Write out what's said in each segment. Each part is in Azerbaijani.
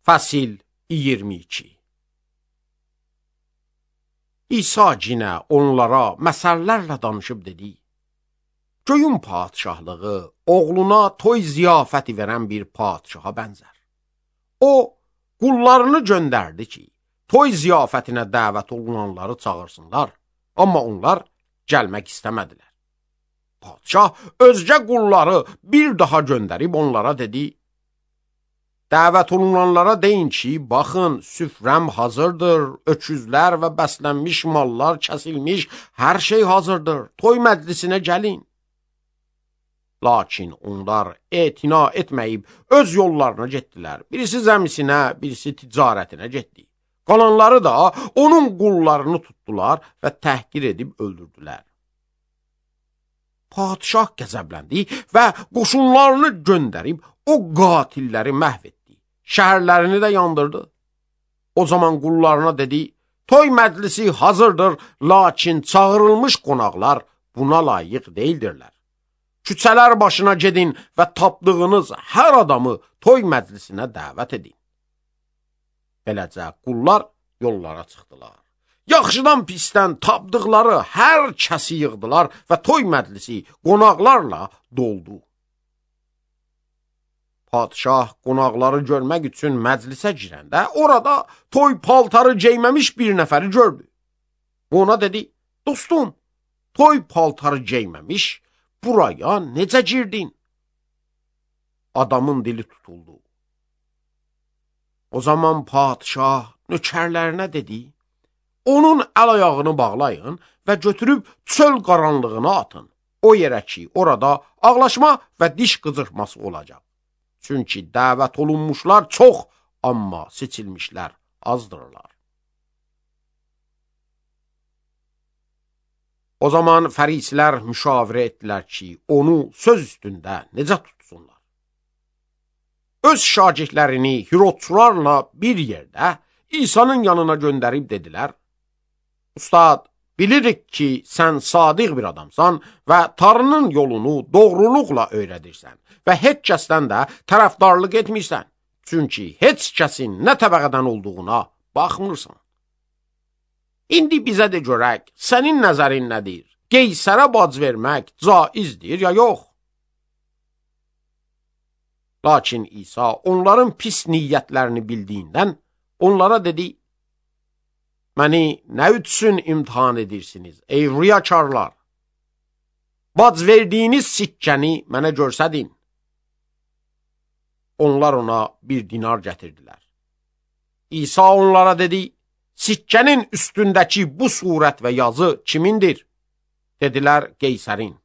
Fəsil 22. İsa cinə onlara məsəllərlə danışıb dedi: Göyün padişahlığı oğluna toy ziyafəti verən bir padişaha bənzər. O, qullarını göndərdi ki, toy ziyafətinə dəvət olunanları çağırsınlar, amma onlar gəlmək istəmədilər. Padişah özgə qulları bir daha göndərib onlara dedi: Dəvət olunanlara deyin ki, baxın, süfrəm hazırdır, öküzlər və bəslənmiş mallar kəsilmiş, hər şey hazırdır, toy məclisinə gəlin. Lakin onlar etina etməyib öz yollarına getdilər. Birisi zəmisinə, birisi ticarətinə getdi. Qalanları da onun qullarını tutdular və təhqir edib öldürdülər. Padişah qəzəbləndi və qoşunlarını göndərib o qatilləri məhv etdi. Şəhərlərini də yandırdı. O zaman qullarına dedi: Toy məclisi hazırdır, lakin çağırılmış qonaqlar buna layiq deyildirlər. Küçələr başına gedin və tapdığınız hər adamı toy məclisinə dəvət edin. Beləcə qullar yollara çıxdılar. Yaxşıdan pisdən tapdıqları hər kəsi yığdılar və toy məclisi qonaqlarla doldu. Padişah qonaqları görmək üçün məclisə girəndə orada toy paltarı geyməmiş bir nəfəri gördü. Ona dedi: Dostum, toy paltarı geyməmiş buraya necə girdin? Adamın dili tutuldu. O zaman padişah nökərlərinə dedi: Onun əl-ayağını bağlayın və götürüb çöl qaranlığına atın. O yerə ki, orada ağlaşma və diş qıcırtması olacaq. Çünki dəvət olunmuşlar çox, amma seçilmişlər azdırlar. O zaman fərisilər müşavirə etdilər ki, onu söz üstündə necə tutsunlar. Öz şagirdlərini Hirodçularla bir yerdə İsa'nın yanına göndərib dedilər: Ustad, bilirik ki, sən sadiq bir adamsan və Tanrının yolunu doğruluqla öyrədirsən və heç kəsdən də tərəfdarlıq etmirsən. Çünki heç kəsin nə təbəqədən olduğuna baxmırsan. İndi bizə de görək, sənin nəzərin nədir? Qeysərə bac vermək caizdir ya yox? Lakin İsa onların pis niyyətlərini bildiyindən onlara dedi: Məni nə üçün imtihan edirsiniz, ey riyakarlar? Bac verdiyiniz sikkəni mənə görsədin. Onlar ona bir dinar gətirdilər. İsa onlara dedi: Sikkənin üstündəki bu surət və yazı kimindir? Dedilər: Qeysərin.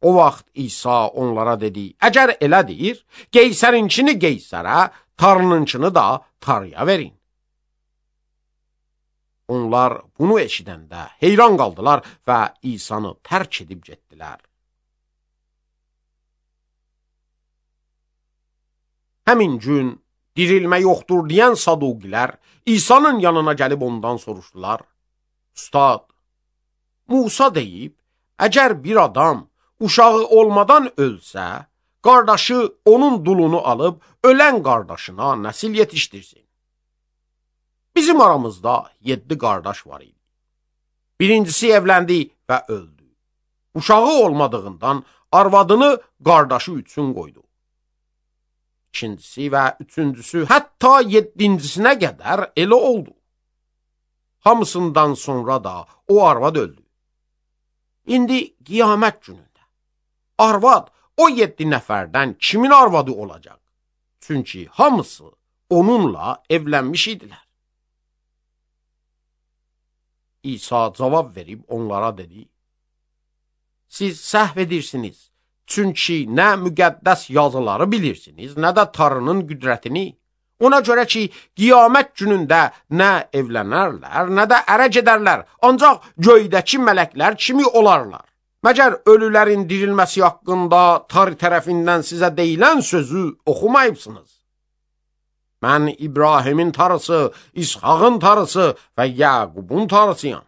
O vaxt İsa onlara dedi: Əgər elədir, Qeysərinkini Qeysərə, Tanrınınkini da Tanrıya verin. Onlar bunu eşidəndə heyran qaldılar və İsa'nı tərk edib getdilər. Həmin gün dirilmə yoxdur deyən Saduqilər İsa'nın yanına gəlib ondan soruşdular: Ustad, Musa deyib, əgər bir adam uşağı olmadan ölsə, qardaşı onun dulunu alıb ölən qardaşına nəsil yetişdirsin. Bizim aramızda 7 qardaş var idi. Birincisi evləndi və öldü. Uşağı olmadığından arvadını qardaşı üçün qoydu. İkincisi və üçüncüsü, hətta 7-cisinə qədər elə oldu. Hamısından sonra da o arvad öldü. İndi qiyamət günündə arvad o 7 nəfərdən kimin arvadı olacaq? Çünki hamısı onunla evlənmiş idilər. İsa cavab verib onlara dedi: Siz səhv edirsiniz. Çünki nə müqəddəs yazıları bilirsiniz, nə də Tanrının qüdrətini. Ona görə ki, qiyamət günündə nə evlənərlər, nə də ərə gedərlər, ancaq göydəki mələklər kimi olarlar. Məgər ölülərin dirilməsi haqqında Tanrı tərəfindən sizə deyilən sözü oxumayıbsınız? Mən İbrahimin Tanrısı, İshağın Tanrısı və Yaqubun Tanrısıyam.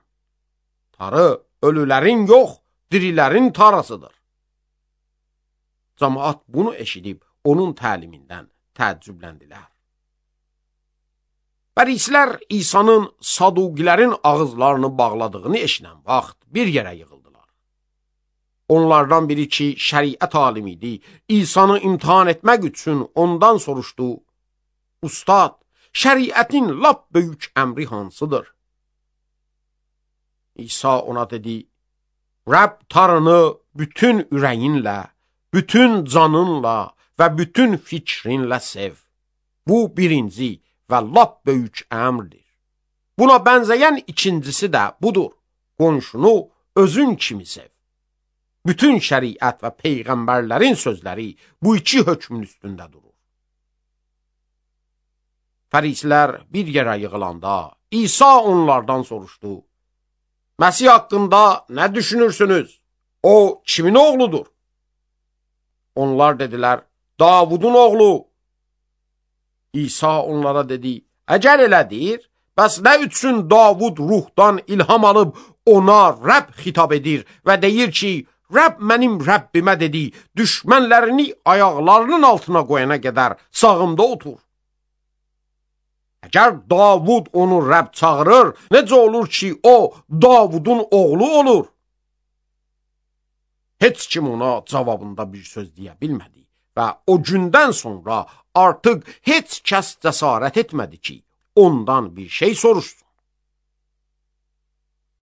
Tanrı ölülərin yox, dirilərin Tanrısıdır. Cəmaət bunu eşidib onun təlimindən təəccübləndilər. Fərisilər İsa'nın Saduqilərin ağızlarını bağladığını eşinən vaxt bir yerə yığıldılar. Onlardan biri ki, şəriət alimi idi, İsa'nı imtihan etmək üçün ondan soruşdu: Ustad, şəriətin lap böyük əmri hansıdır? İsa ona dedi: Rəbb Tanrını bütün ürəyinlə, bütün canınla və bütün fikrinlə sev. Bu birinci və lap böyük əmrdir. Buna bənzəyən ikincisi də budur: qonşunu özün kimi sev. Bütün şəriət və peyğəmbərlərin sözləri bu iki hökmün üstündə durur. Fərisilər bir yerə yığılanda İsa onlardan soruşdu: Məsih haqqında nə düşünürsünüz? O kimin oğludur? Onlar dedilər: Davudun oğlu. İsa onlara dedi: Əgər elədir, bəs nə üçün Davud ruhdan ilham alıb ona Rəbb xitab edir və deyir ki, Rəbb mənim Rəbbimə dedi, düşmənlərini ayaqlarının altına qoyana qədər sağımda otur. Əgər Davud onu Rəbb çağırır, necə olur ki, o Davudun oğlu olur? Heç kim ona cavabında bir söz deyə bilmədi və o gündən sonra artıq heç kəs cəsarət etmədi ki, ondan bir şey soruşsun.